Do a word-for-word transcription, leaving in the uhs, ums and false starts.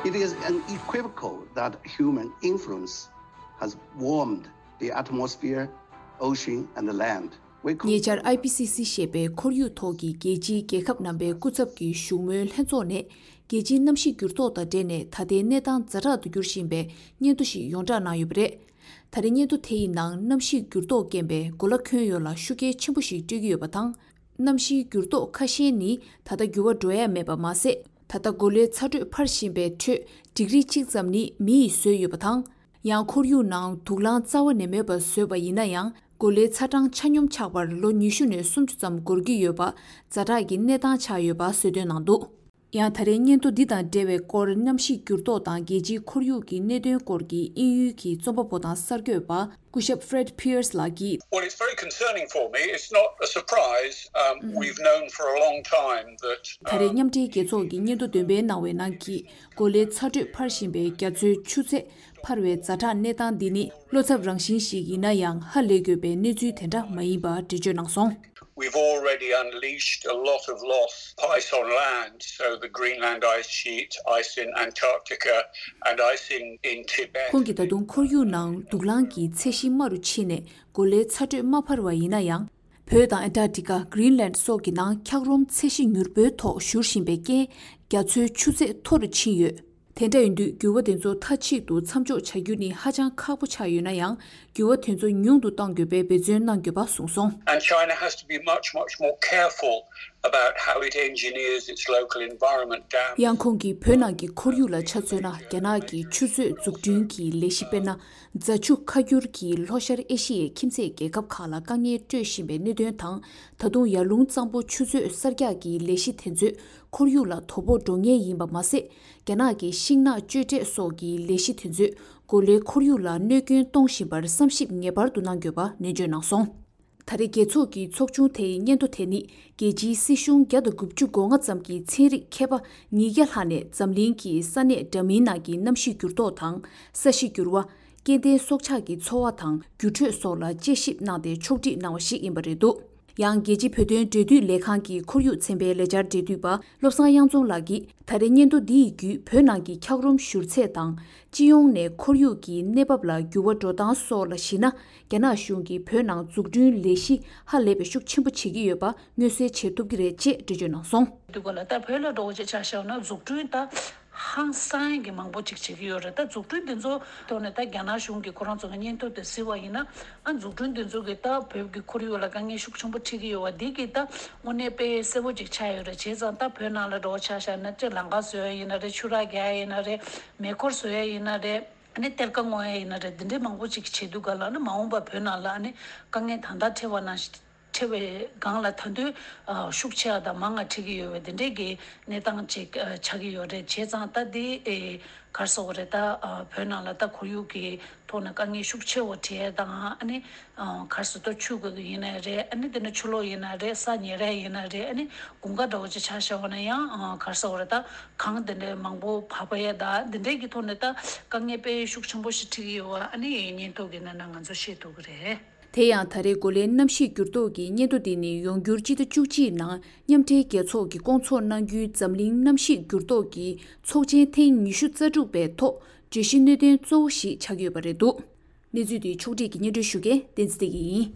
It is unequivocal that human influence has warmed the atmosphere, ocean, and the land. We could ཉེ་ཆར་ཨའི་པི་སི་སི་ཞེས་པའི་ཁོར་ཡུག་ཐོག་གི་རྒྱལ་སྤྱིའི་རྒྱལ་ཁབ་རྣམ་པའི་སྐུ་ཚབ་ཀྱི་བཞུགས་མོལ་ལྷན་ཚོགས་ནས། རྒྱལ་སྤྱིའི་གནམ་གཤིས་འགྱུར་ལྡོག་དང་འབྲེལ་ནས་ད་ལྟའི་གནས་སྟངས་ཛ་དྲག་ཏུ་འགྱུར་བཞིན་པའི་སྙན་ཐོ་ཞིག་ཡོངས་བསྒྲགས་གནང་ཡོད་པ་རེད། ད་རེས་སྙན་ཐོ་དེ་ཡི་ནང་གནམ་གཤིས་འགྱུར་ལྡོག་རྐྱེན་པས་གོ་ལ་ཁྱོན་ཡོངས་ལ་ཤུགས་རྐྱེན་ཆེན་པོ་ཞིག་སྤྲོད་ཀྱི་ཡོད་པ་དང་། གནམ་གཤིས་འགྱུར་ལྡོག་ཁ་ཤས་ནི་ད་ལྟ་འགྱུར་བ་འགྲོ་ཡ་མེད་པ་མ་ཟད། ད་ལྟ་གོ་ལའི་ཚ་དྲོད་འཕར་བཞིན་པའི་ཁྲོད་ཌིག་རི་གཅིག་ཙམ་ནི་མི་ཡིས་བཟོས་ཡོད་པ་དང་། ཡང་ཁོར་ཡུག་ནང་དུག་རླངས་རྩ་བ་ནས་མེད་པ་བཟོས་པ་ཡིན་ན་ཡང་། གོ་ལའི་ཚ་གྲང་ཆ་སྙོམས་ཆགས་པར་ལོ་ཉི་ཤུ་ནས་སུམ་ཅུ་ཙམ་འགོར་གྱི་ཡོད་པ་ཛ་དྲག་གི་གནས་སྟངས་ཆགས་ཡོད་པ་གསལ་སྟོན་གནང་འདུག་ཡང་ད་རེས་སྙན་ཐོ་འདི་དང་འབྲེལ་བའི་སྐོར། གནམ་གཤིས་འགྱུར་ལྡོག་དང་རྒྱལ་སྤྱིའི་ཁོར་ཡུག་གི་གནད་དོན་སྐོར་གྱི་དབྱིན་ཡུལ་གྱི་རྩོམ་པ་པོ་དང་གསར་འགོད་པ་སྐུ་ཞབས་Fred Pearce ལགས་ཀྱིས། Well, it's very concerning for me. It's not a surprise. Um, we've known for a long time that, ད་རེས་um, མཉམ་འབྲེལ་རྒྱལ་ཚོགས་ཀྱི་སྙན་ཐོ་འདོན་སྤེལ་གནང་བའི་ནང་གི་གོ་ལའི་ཚ་དྲོད་འཕར་བཞིན་པའི་རྒྱ་མཚོའི་ཆུ་ཚད་འཕར་བའི་ཛ་དྲག་གནས་སྟངས་འདི་ནི་བློ་འཚབ་རང་བཞིན་ཞིག་ཡིན་ན་ཡང་། ཧ་ལས་དགོས་པའི་གནས་ཚུལ་དེ་འདྲ་མ་ཡིན་པ་འགྲེལ་བརྗོད་གནང་སོང་། We've already unleashed a lot of loss, ice on land, so the Greenland ice sheet, ice in Antarctica, and ice in, in Tibet. ཁོང་གིས་ད་དུང་ཁོར་ཡུག་ནང་དུག་རླངས་ཀྱི་ཚད་གཞི་དམའ་རུ་ཕྱིན་ནས་གོ་ལའི་ཚ་དྲོད་མ་འཕར་བ་ཡིན་ན་ཡང་། བོད་དང་ཨན་ཊར་ཀྲི་ཀ། གྷི་རིན་ལན་སོགས་ཀྱི་ནང་འཁྱགས་རོམ་ཚད་གཞི་མྱུར་པོའི་ཐོག་བཞུར་བཞིན་པའི་རྐྱེན། རྒྱ་མཚོའི་ཆུ་ཚད་མཐོ་རུ་ཕྱིན་ཡོད། དེ་འདྲ་ཡིན་དུས་འགྱུར་བ་དེ་ཚོ་མཐའ་གཅིག་ཏུ་མཚམས་འཇོག་བྱ་རྒྱུ་ནི་ཧ་ཅང་ཁག་པོ་ཆགས་ཡོད་ན་ཡང་། འགྱུར་བ་དེ་ཚོ་ཉུང་དུ་གཏོང་དགོས་པའི་འབད་བརྩོན་གནང་དགོས་པ་གསུངས་སོང་། And China has to be much, much more careful about how it engineers its local environment down. ཡང་ཁོང་གིས་བོད་ནང་གི་ཁོར་ཡུག་ལ་ཆ་མཚོན་ན། རྒྱ་ནག་གི་ཆུ་མཛོད་འཛུགས་སྐྲུན་གྱི་ལས་གཞི། དཔེར་ན། རྫ་ཆུ་ཁ་སྒྱུར་གྱིས་ལྷོ་ཤར་ཨེ་ཤི་ཡའི་ཁྱིམ་མཚེས་རྒྱལ་ཁབ་ཁག་ལ་དཀའ་ངལ་སྤྲོད་བཞིན་པའི་གནད་དོན་དང་། ད་དུང་ཡར་ཀླུང་གཙང་པོ་ཆུ་མཛོད་གསར་རྒྱག་གི་ལས་གཞི་དེ་ཚོས་ཁོར་ཡུག་ལ་དོ་ཕོག་འགྲོ་ངེས་ཡིན་པ་མ་ཟད། རྒྱ་ནག་གི་ཤིང་ནགས་གཅོད་འབྲེག་སོགས་ཀྱི་ལས་གཞི་དེ་ཚོས་གོ་ལའི་ཁོར་ཡུག་ལ་གནོད་སྐྱོན་གཏོང་བཞིན་པར་བསམ་ཞིབ་ངེས་པར་དུ་གནང་དགོས་པ་ནན་བརྗོད་གནང་སོང་། ད་རེས་རྒྱལ་ཚོགས་ཀྱི་ཚོགས་ཆུང་དེའི་སྙན་ཐོ་དེ་ནི། རྒྱལ་སྤྱིའི་སྲིད་གཞུང་བརྒྱ་དང་དགུ་བཅུ་གོ་ལྔ་ཙམ་གྱི་ཚན་རིག་མཁས་པ་ཉིས་བརྒྱ་ལྷག་ནས་འཛམ་གླིང་གི་ས་གནས་འདྲ་མིན་ནང་གི་གནམ་གཤིས་འགྱུར་ལྡོག་དང་། ས་གཤིས་འགྱུར་བ། སྐྱེ་ལྡན་སྲོག་ཆགས་ཀྱི་འཚོ་བ་དང་འགྱུར་འགྲོས་སོགས་ལ་དཔྱད་ཞིབ་གནང་སྟེ་ཕྱོགས་སྒྲིག་གནང་བ་ཞིག་ཡིན་པ་རེད་འདུག་ཡང་རྒྱལ་སྤྱིའི་བོད་དོན་འབྲེལ་མཐུད་ལས་ཁང་གི་ཁོར་ཡུག་ཚན་པའི་ལས་འཆར་འབྲེལ་མཐུད་པ་བློ་བཟང་དབྱངས་འཛོམས་ལགས་ཀྱིས། ད་རེས་སྙན་ཐོ་འདི་ཡི་བརྒྱུད་བོད་ནང་གི་འཁྱགས་རོམ་བཞུར་ཚད་དང་། སྤྱི་ཡོངས་ནས་ཁོར་ཡུག་གི་གནས་བབ་ལ་འགྱུར་བ་འགྲོ་སྟངས་སོགས་ལ་གཞིགས་ན། རྒྱ་ནག་གཞུང་གིས་བོད་ནང་འཛུགས་སྐྲུན་ལས་གཞི་ཧ་ལས་པའི་ཤུགས་ཆེན་པོ་བྱེད་ཀྱི་ཡོད་པ་མངོན་གསལ་བྱེད་ཐུབ་ཀྱི་རེད་ཅེས་འགྲེལ་བརྗོད་གནང་སོང་། འདི་སྐོར་ལ་ད་བོད་ལ་འགྲོ་བ་ཅིག་ཆ་བཞག་ན་འཛུགས་སྐྲུན་ད་ཧང་སང་གི་མང་པོ་ཅིག་བྱེད་ཀྱི་ཡོད་རེད། ད་འཛུགས་སྐྲུན་འདི་ཚོ་ཐོག་ནས་ད་རྒྱ་ནག་གཞུང་གིས་ཁོ་རང་ཚོ་གི་སྙན་ཐོ་དེ་གཟིགས་པ་ཡིན་ན། ཨ་འཛུགས་སྐྲུན་འདི་ཚོ་གིས་ད་བོད་ཀྱི་ཁོར་ཡུག་ལ་དཀའ་ངལ་ཤུགས་ཆེན་པོ་འཕྲད་ཀྱི་ཡོད་པ་འདི་གིས་ད་དངོས་གནས་དཔེ་གསལ་པོ་ཅིག་ཆགས་ཡོད་རེད། བྱས་ཙང་ད་བོད་ནང་ལ་འགྲོ་བ་ཆ་བཞག་ན་ཅིག་ལམ་ཁ་བཟོ་ཡ་ཡིན་ན་རེད། ཆུ་རགས་རྒྱག་ཡ་ཡིན་ན་རེད། མེ་འཁོར་བཟོ་ཡ་ཡིན་ན་རེད། ཨ་ནི་གཏེར་ཁ་སྔོག་ཡ་ཡིན་ན་རེད། འདི་འདྲའི་མང་པོ་ཅིག་བྱེད་དུས་ག་ལ་ནི་མ་འོངས་པ་བོད་ནང་ལ་ཨ་ནི་དཀའ་ངལ་ད་ལྟ་འཕྲད་པ་ནང་བཞིན། འཕྲད་པའི་སྒང་ལ་ད་དུང་ཨ་ཤུགས་ཆེ་བ་དང་མང་བ་འཕྲད་ཀྱི་ཡོད་པའི་དེ་འདྲའི་གི་གནས་སྟངས་ཅིག་ཨ་ཆགས་ཀྱི་ཡོད་རེད། བྱས་ཙང་ད་འདི་ཨེ་ག་རེ་ཟེར་དགོས་རེད། ད་ཨ་བོད་ནང་ལ་ད་ཁོར་ཡུག་གི་ཐོག་ནས་དཀའ་ངལ་ཤུགས་ཆེ་བ་འཕྲད་ཡ་དང་། ཨ་ནི་ཨ་ག་རེ་ཟེར། ད་ཆུ་གི་ཡིན་ན་རེད། ཨ་ནི་དེ་ནས་ཆུ་ལོག་ཡིན་ན་རེད། ས་ཉིལ་ཡ་ཡིན་ན་རེད། ཨ་ནི་དགུན་ཁ་འདྲ་བོ་ཅིག་ཆ་བཞག་པ་ན་ཡང་ཨ་ག་རེ་ཟེར་དགོས་རེད། ད་གངས་དེ་འདྲའི་མང་པོ་བབས་པ་ཡ་ད་འདི་འདྲའི་གི་ཐོག་ནས་ད་དཀའ་ངལ་དཔེ་ཤུགས་ཆེན་པོ་ཞིག་འཕྲད་ཀྱི་ཡོད་པ་ཨ་ནི་སྙན་ཐོ་གི་ནང་ན་ང་ཚོ་ཤེས་ཐུབ་ཀྱི་རེད། དེ་ཡང་ད་རེས་གོ་ལའི་གནམ་གཤིས་འགྱུར་ལྡོག་གི་སྙན་ཐོ་འདི་ནི་ཡོང་འགྱུར་སྤྱི་ཟླ་བཅུ་གཅིག་ནང་མཉམ་འབྲེལ་རྒྱལ་ཚོགས་ཀྱིས་སྐོང་ཚོགས་གནང་རྒྱུའི་འཛམ་གླིང་གནམ་གཤིས་འགྱུར་ལྡོག་གི་ཚོགས་ཆེན་ཐེངས་ཉི་ཤུ་རྩ་དྲུག་པའི་ཐོག་བརྗོད་གཞི་གནད་དོན་གཙོ་བོ་ཞིག་ཆགས་ཀྱི་ཡོད་པ་རེད་འདུག་གནས་ཚུལ་འདི་ཕྱོགས་སྒྲིག་གིས་སྙན་སྒྲོན་ཞུ་མཁན་བསྟན་འཛིན་བདེ་སྐྱིད་ཡིན།